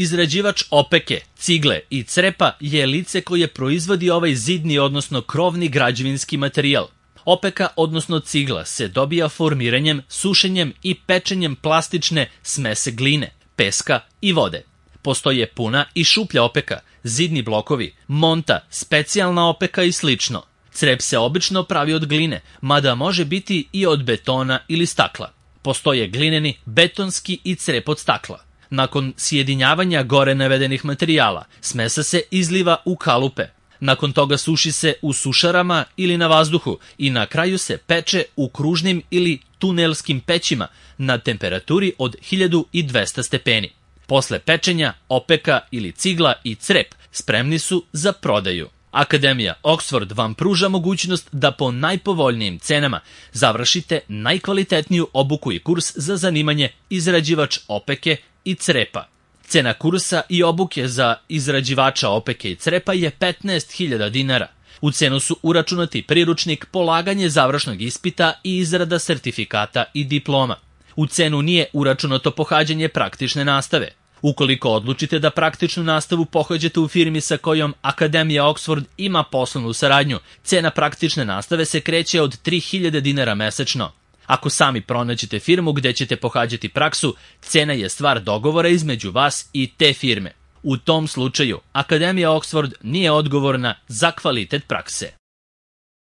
Izrađivač opeke, cigle i crepa je lice koje proizvodi ovaj zidni odnosno krovni građevinski materijal. Opeka odnosno cigla se dobija formiranjem, sušenjem i pečenjem plastične smese gline, peska i vode. Postoje puna i šuplja opeka, zidni blokovi, monta, specijalna opeka i slično. Crep se obično pravi od gline, mada može biti i od betona ili stakla. Postoje glineni, betonski i crep od stakla. Nakon sjedinjavanja gore navedenih materijala, smesa se izliva u kalupe. Nakon toga suši se u sušarama ili na vazduhu i na kraju se peče u kružnim ili tunelskim pećima na temperaturi od 1200 stepeni. Posle pečenja, opeka ili cigla i crep spremni su za prodaju. Akademija Oxford vam pruža mogućnost da po najpovoljnijim cenama završite najkvalitetniju obuku i kurs za zanimanje izrađivač opeke i crepa. Cena kursa i obuke za izrađivača opeke i crepa je 15.000 dinara. U cenu su uračunati priručnik, polaganje završnog ispita i izrada sertifikata i diploma. U cenu nije uračunato pohađanje praktične nastave. Ukoliko odlučite da praktičnu nastavu pohađate u firmi sa kojom Akademija Oxford ima poslovnu saradnju, cena praktične nastave se kreće od 3.000 dinara mesečno. Ako sami pronađete firmu gde ćete pohađati praksu, cena je stvar dogovora između vas i te firme. U tom slučaju, Akademija Oxford nije odgovorna za kvalitet prakse.